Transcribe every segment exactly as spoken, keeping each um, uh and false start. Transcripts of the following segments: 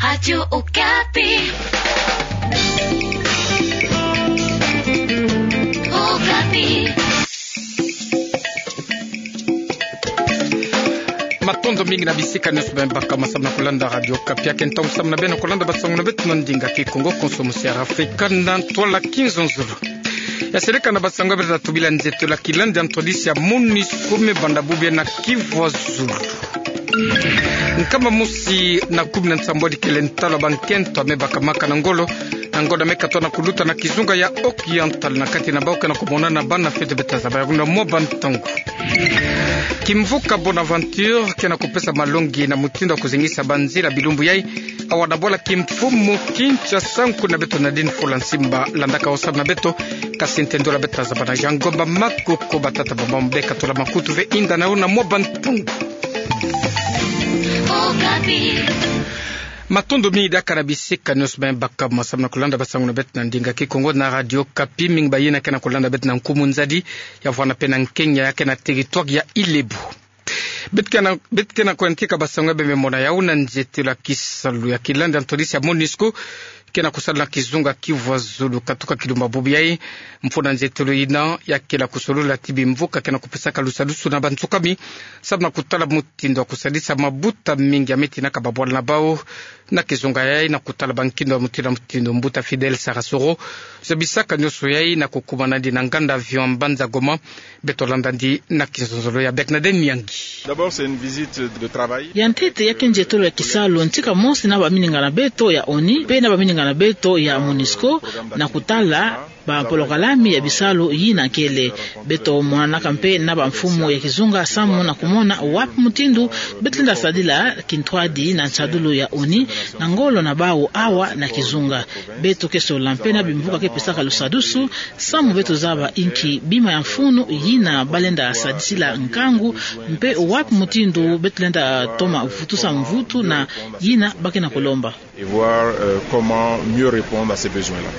Radio Okapi. Okapi. Matondo mingi na bisika nyonso beno baka masamu na kulanda Radio Okapi. Ake ntangu samu na beno kulanda basango na beto na ndinga Kikongo, konso musi ya Afrika na ntwala Kinzonzolo. Ya seleka na basango ya beto tubila nzietolo ya kilandi ya ntwadisi ya MONUSCO me banda bubu yayi na Kivu ya Zulu. Nkama mosi na kumi na nsambwadi kele ntalwa bankento ya me bakamaka na ngolo, na ngonda me katoa na kuluta na kizunga ya Oriental, na kati na bau ke na kumonana bana fete beta zaba ya kuna mwa bantangu. Kimvuka Bonaventure ke na kupesa malongi na mutindu ya kuzengisa banzila bilumbu yayi, awa na bwala kimfumu Kinshasa. Nkuna beto Nadine Fula Nsimba landaka osalu na beto, kasi nte ndola beta zaba na Jean Ngomba Makoko. Batata bamama, beka tula makutu ve, inda na yo na mwa bantangu. Matondo mingi diaka na bisika nyonso beno baka masamu na kulanda basango na beto na ndinga Kikongo na Radio Okapi. Mingi bayina ke na kulanda beto na nkumu nzadi, ya vwanda pe na Nkenya, ya ke na territoire ya Ile-Ibo. Beto ke na, beto ke na kuyantika basango ya beno me mona yau na nzietolo ya kisalu ya kilandi ya ntwadisi ya MONUSCO ke na kusala na kizunga Kivu ya Zulu. Katuka kilumbu bubu yayi, mfunu na nzietolo yina ya kele kusolula ti bimvuka ke na kupesaka lusadusu na bansukami, samu na kutala mutindu ya kusadisa mabuta mingi ya me tinaka babwala na bau na kizunga yayi, na kutala bankindu ya mutindu na mutindu. Mbuta Fidèle Sarasoro zabisaka nyonso yayi na kukumana ndi na nganda avion Mbanza Goma. Beto landa ndi na Kinzonzolo ya Bernadette Miangi. D'abord, c'est une visite de travail. Ya ntete, ya ke nzietolo ya kisalu ntika mosi na baminingana beto ya ONU, pe na baminingana beto ya MONUSCO, na kutala bapolokalami ya bisalu yina kele. Beto monanaka mpe na bamfumu ya kizunga samu na kumona wapi mutindu beto lenda sadila kintwadi na nsadulu ya ONU na ngolo na bau awa na kizunga. Beto ke solola mpe na bimvuka ke pesaka lusadusu, samu beto zaba inki bima ya mfunu yina balenda sadisila nkangu, mpe wapi mutindu beto lenda toma vutusa mvutu na yina ba ke na kulomba. Et voir, euh, comment mieux répondre à ces besoins-là.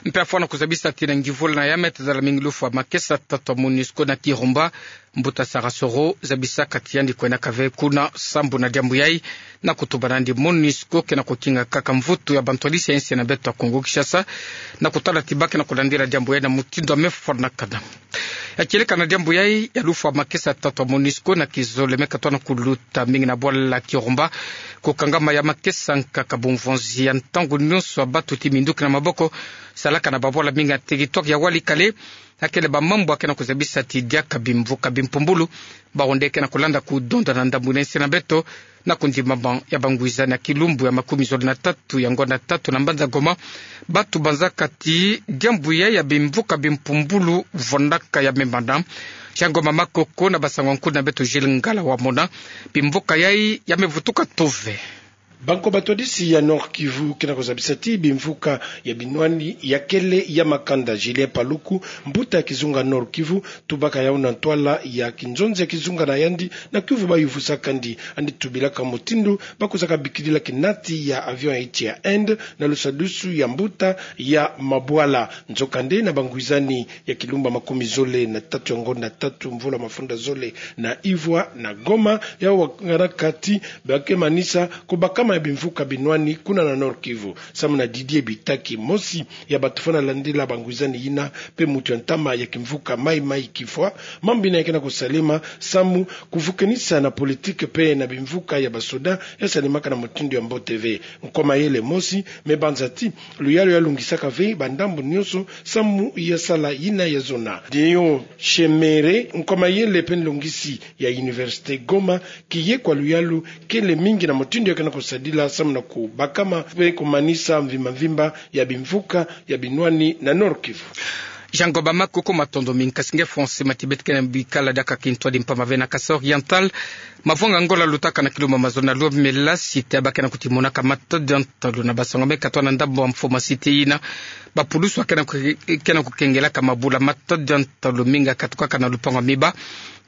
Mpe afwana kuzabisa ti na ngivula na ya me tazala mingi lufwa makesa tatu ya MONUSCO na Kirumba, mbuta Sarasoro zabisaka ti yandi kwendaka ve kuna sambu na diambu yayi, na kutuba nandi MONUSCO ke na kukinga kaka mvutu ya bantwadisi ya insi na beto ya Kongo Kinshasa, na kutala ti ba ke na kulandila diambu yayi na mutindu ya me fwanakana. Ya kieleka na diambu yayi ya lufwa makesa tatu ya MONUSCO na kizole me katoa na kuluta mingi na bwala Kirumba, kukangama ya makesa nkaka bumvonzi ya ntangu nyonso ya batu ti minduki na maboko salaka na babwala mingi ya territoire ya Walikale, ya kele bamambu ya ke na kuzabisa ti diaka bimvuka bimpumbulu, bawu nde ke na kulanda kudonda na ndambu na insi na beto, na kundimama ya bangwizani ya kilumbu ya makumi zole na tatu ya ngonda tatu na mbanza Goma, batu banzaka ti diambu yayi ya bimvuka bimpumbulu vwandaka ya me mana. Jean Ngomba Makoko na basango ya nkuna beto Gilles Ngala Wamona, bimvuka yayi ya me vutuka tove. Banko batwadisi ya Nord-Kivu ke na kuzabisa ti bimvuka ya binwani ya kele ya makanda. Julien Paluku, mbuta ya kizunga Nord-Kivu, tubaka yawu na ntwala ya kinzonzi ya kizunga na yandi, na kiyuvu bayuvusaka ndi, yandi tubilaka mutindu ba kuzaka bikidila kinati ya avion ya insi ya Inde na lusadusu ya mbuta ya mabwala. Nzokande na bangwizani ya kilumbu ya makumi zole na tatu ya ngonda tatu mvula mafunda zole na ivwa na Goma, yawu wanganaka ti ba ke manisa kubakama ya bimvuka binwani kuna na Nord-Kivu. Samu na Didier Bitaki, mosi ya batu fwana landila bangwizani yina, mpe mutu ya ntama ya kimvuka Mai Mai Kifwa, mambu yina ya ke na kusalema samu kuvukanisa na politique mpe na bimvuka ya basoda ya salemaka na mutindu ya mbote ve. Nko mayele mosi me banza ti luyalu ya longisaka ve bandambu nyonso samu ya sala yina ya zona. Dion Chemere, nko mayele mpe nlongisi ya Université Goma, kiye kwa luyalu kele mingi na mutindu ya ke na kusadila samu na kubakama mpe kumanisa mvimba mvimba ya bimvuka ya binwani na Nord-Kivu. Jean Ngomba Makoko, matondo mingi. Kasi nge François Matibet, ke na bikala diaka kintwadi mpamba ve na Kasaï Oriental, mavwanga ngola lutaka na kilumbu mazole na lwa me lasi ti ba ke na kutimonaka matadi ya ntalu na basango me katoa na ndambu ya mfo masiti yina, bapulusu ya ke na ku-, ke na kukengelaka mabula. Matadi ya ntalu mingi ya katukaka na lupangu ya miba,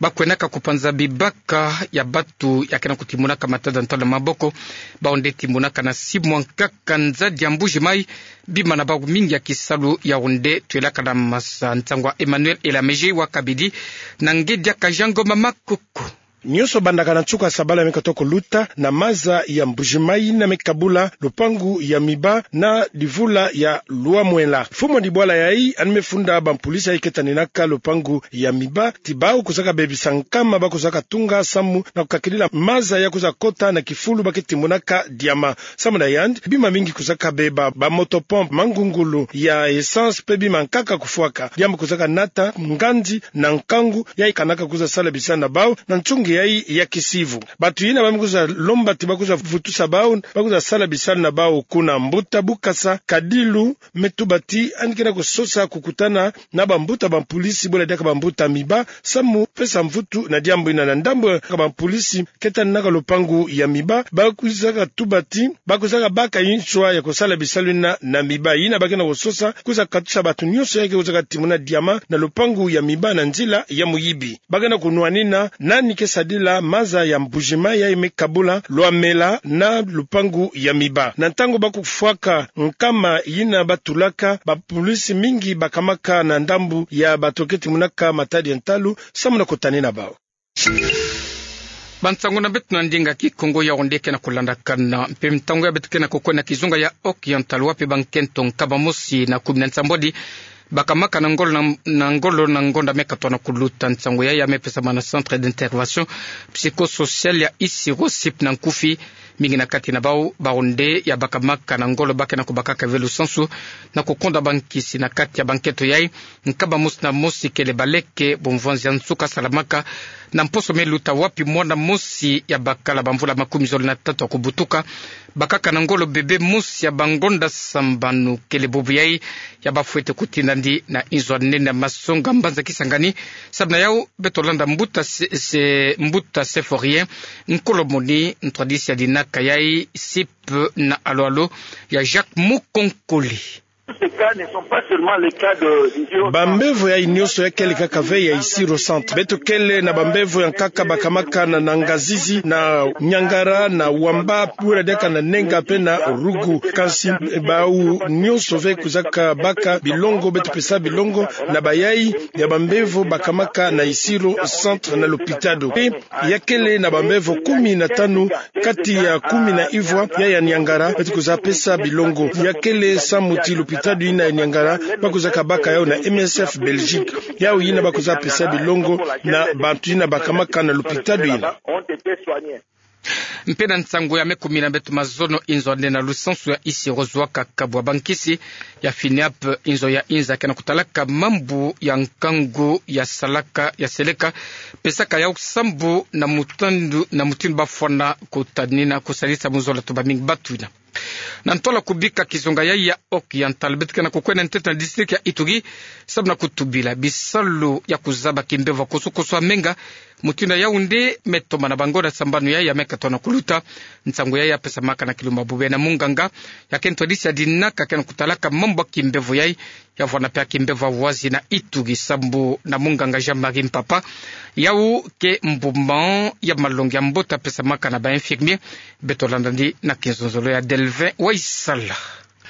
ba kwendaka kupanza bibaka ya batu ya ke na kutimonaka matadi ya ntalu na maboko. Bawu nde timonaka na simu ya nkaka nzadi ya Mbuji Mayi, bima na bawu mingi ya kisalu yawu nde twelaka na masa. Nsangu ya Emmanuel Elamege wa Kabidi, na nge diaka Jean Ngomba Makoko. Nyonso bandaka na nsuka sabala me katoa kuluta na maza ya Mbuji-Mayi yina me kabula lupangu ya Miba na livula ya Luamwela. Mfumu a dibwala yayi ani me funda bampulisi yayi ke taninaka lupangu ya Miba ti bawu kwizaka bebisa nkama ba kwizaka tunga samu na kukakidila maza ya kwiza kota na kifulu ba ke timonaka diama. Samu na yandi, bima mingi kwizaka beba, ba motopompe, mangungulu ya essence mpe bima nkaka kufwaka. Diambu kwizaka nata ngandi na nkangu yayi kanaka kwiza sala bisalu na bawu na nsungi yayi ya kisivu. Bantu yina ba me kwiza lomba ti ba kwiza vutusa bawu, ba kwiza sala bisalu na bawu kuna mbuta Bukasa Kadilu me tuba ti yandi ke na kusosa kukutana na bambuta bampulisi bwela diaka bambuta Miba samu pesa mvutu na diambu yina. Na ndambu ya bampulisi ke taninaka lupangu ya Miba, ba kwizaka tuba ti ba kwizaka baka nswa ya kusala bisalu yina na Miba. Yina ba ke na kusosa kwiza katusa bantu nyonso yayi ke kwizaka timona diama na lupangu ya Miba na nzila ya muyibi. Ba ke na kunwanina nani ke sadila maza ya Mbuji-Mayi yayi me kabula Luamwela na lupangu ya Miba. Na ntangu ba kufwaka nkama yina ba tulaka, bampulisi mingi bakamaka na ndambu ya bantu ke timonaka matadi ya ntalu samu na kutanina bawu. Bansangu na beto na ndinga Kikongo, Yaoundé, ke na kulandakana. Mpe ntangu yayi beto ke na kukwenda na kizunga ya Occidental, wapi bankento nkama mosi na kumi na nsambwadi bakamaka na ngolo na, na ngolo na ngonda me katoa na kuluta. Nsangu yayi ya me pesama na Centre d'intervention psychosociale ya Isiro, CIP na nkufi. Mingi na kati na bawu, ba Yaoundé, ya bakamaka na ngolo ba ke na kubakaka ve lusansu na kukonda bankisi. Na kati ya bankento yayi, nkama mosi na mosi kele baleke, bumvwanzi ya nsuka salamaka na mposo me luta, wapi mwana mosi ya bakala bamvula makumi zole na tatu ya kubutuka bakaka na ngolo bebe mosi ya bangonda sambanu. Kele bubu yayi ya bafwete kutinda ndi na inzo ya nene ya masonga mbanza Kisangani. Samu na yawu, beto landa mbuta Se-, Se-, mbuta Symphorien Nkolomoni, ntwadisi ya dinaka yayi CIP na alo-alo ya Jacques Mukonkole. Tous ces cas ne sont pas seulement les cas de, de violence. Bambevo yayi nyonso ya kele kaka ve ya Isiro Centre. Beto kele na bambevo ya nkaka bakamaka na, na Ngazizi, na Niangara, na Wamba, bwela diaka na Nenga mpe na Rougou. Kansi bawu nyonso ve kwizaka baka bilongo, beto pesa bilongo na bayayi ya bambevo bakamaka na Isiro Centre na lopitalo. Mpe ya kele na bambevo kumi na tanu kati ya kumi na ivwa ya, ya Niangara, beto kwiza pesa bilongo. Ya kele samu ti lopitalo yina ya Niangara ba kwizaka baka yawu na M S F Belgique. Yawu yina ba kwiza pesa bilongo na bantu yina bakamaka na lopitalo yina. Mpe na nsangu ya me kumina beto mazono, inzo ya nene na lusansu ya Isiro zwa kaka bwa bankisi ya FINEAP, inzo ya inza ke na kutalaka mambu ya nkangu ya salaka, ya seleka, pesaka yawu sambu na mutindu, na mutindu bafwana kutanina kusalisa mu zola to bamingi batu yina. Na ntwala kubika kizunga yayi ya Occidental, beto ke na kukwenda ntete na district ya Ituri, samu na kutubila bisalu ya kuzaba kimbevo ya kusu-kusu ya menga, mutindu ya Yaoundé me toma na bangonda sambanu yayi ya me katoa na kuluta. Nsangu yayi ya pesamaka na kilumbu bubu yayi na munganga ya ke ntwadisi ya dinaka ke na kutalaka mambu ya kimbevo yayi, ya vwanda mpe ya kimbevo ya wazi na Ituri, sambu na munganga Jean-Marie Mpapa. Yawu ke mbuma ya malongi ya mbote ya pesamaka na ba infirmier. Beto landa ndi na kinzonzolo ya Delvin Waisala.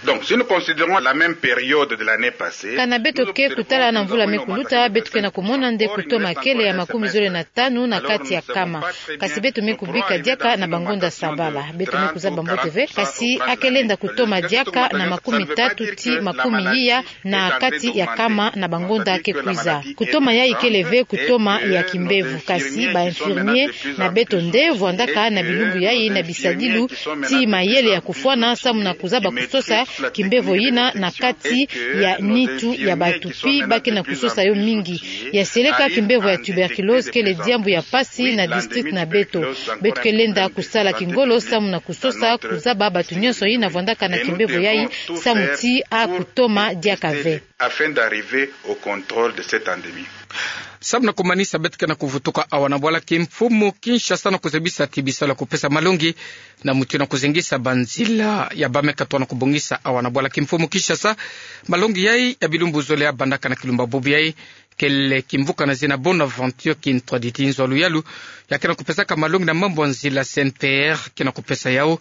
Donc, si nous considérons la même période de l'année passée, kana beto ke kutala na mvula me kuluta, beto ke na kumona nde kutoma kele ya makumi zole na tanu na kati ya kama. Kasi beto me kubika diaka na bangonda sabala. Beto me kuzaba mbote ve, kasi a ke lenda kutoma diaka na makumi tatu ti makumi iya na kati ya kama na bangonda ke kwiza. Kutoma yayi kele ve kutoma ya kimbevo, kasi ba infirmier na beto nde vwandaka na bilumbu yayi na bisadilu ti mayele ya kufwana samu na kuzaba kusosa kimbevo yina na kati ya nitu ya bantu, pi ba ke na kusosa yo mingi. Ya seleka, kimbevo ya tuberculose kele diambu ya mpasi na district na beto. Beto ke lenda kusala kingolo samu na kusosa kuzaba bantu nyonso yina vwandaka na kimbevo yayi, samu ti a kutoma diaka ve, afin d'arriver au contrôle de cette endémie. Samu na kumanisa, beto ke na kuvutuka awa na bwala kimfumu Kinshasa na kuzebisa ti bisalu ya kupesa malongi na mutindu na kuzengisa banzila ya ba me katoa na kubongisa awa na bwala kimfumu Kinshasa. Malongi yayi ya bilumbu zole ya bandaka na kilumbu bubu yayi kele kimvuka na zina Bonaventure Kintwadi, ti nzo ya luyalu ya ke na kupesaka malongi na mambu ya nzila, C N T R, ke na kupesa yawu.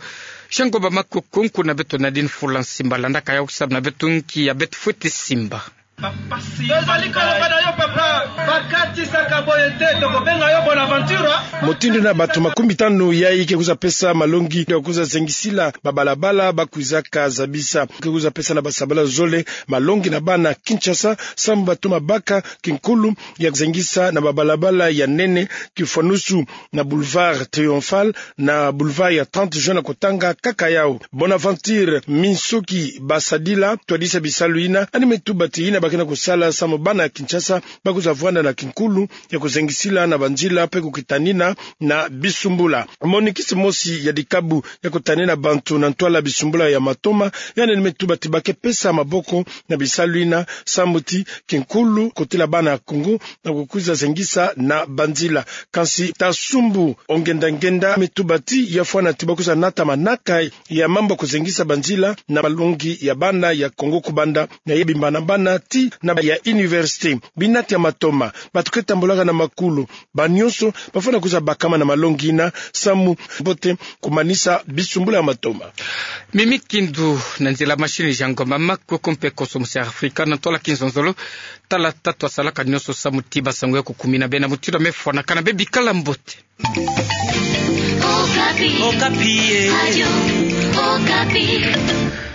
Shango ba makuku, nkuna beto Nadine Fula Nsimba landaka yawu samu na beto nki ya beto fwete simba. Tozali koloba na yo, papa, bakatisaka boye te, tokobenga yo Bonaventura. Motindo na bato makumitano yai ke kwiza pesa malongi ya kwiza zengisila babalabala ba kwizaka zabisa. Ke kwiza pesa na basabala zole malongi na bana Kinshasa, samu ba toma baka kinkulu ya zengisa na babalabala ya nene, kifwanusu na Boulevard Triomphal na Boulevard ya trente Juin na kotanga kaka yau. Bonaventure Minsoki Basadila, twadisa bisalu yina, yandi me tuba ti yina ba ke na kosala samu bana Kinshasa ba kwiza vwanda na kinkulu ya kozengisila na banzila mpe kokitanina na bisumbula. Monikisi mosi ya dikabu ya kotanina bantu na ntwala bisumbula ya matoma, yandi me tuba ti ba ke pesa maboko na bisalu yina, samu ti kinkulu kotila bana Kongo na kokwiza zengisa na banzila. Kansi Tasumbu Ongendangenda me tuba ti ya fwana ti ba kwiza nata manaka ya mambu ya kozengisa banzila na malongi ya bana ya Kongo kubanda na ye bimba na bana ti na ba ya université. Binati ya matoma, bato ke tambolaka na makulu, banyonso ba fwana kwiza bakama na malongi yina, samu mbote komanisa bisumbula ya matoma. Mimi Kindu na nzila machine Jean Ngoma Makuku mpe Koso Musi Afrika na ntwala kinzonzolo. Tala tatu asalaka nyonso samu ti basango ya kukumina beno na mutindu me fwanakana. Beno bikala mbote. Okapi. Okapi, eh. Radio Okapi.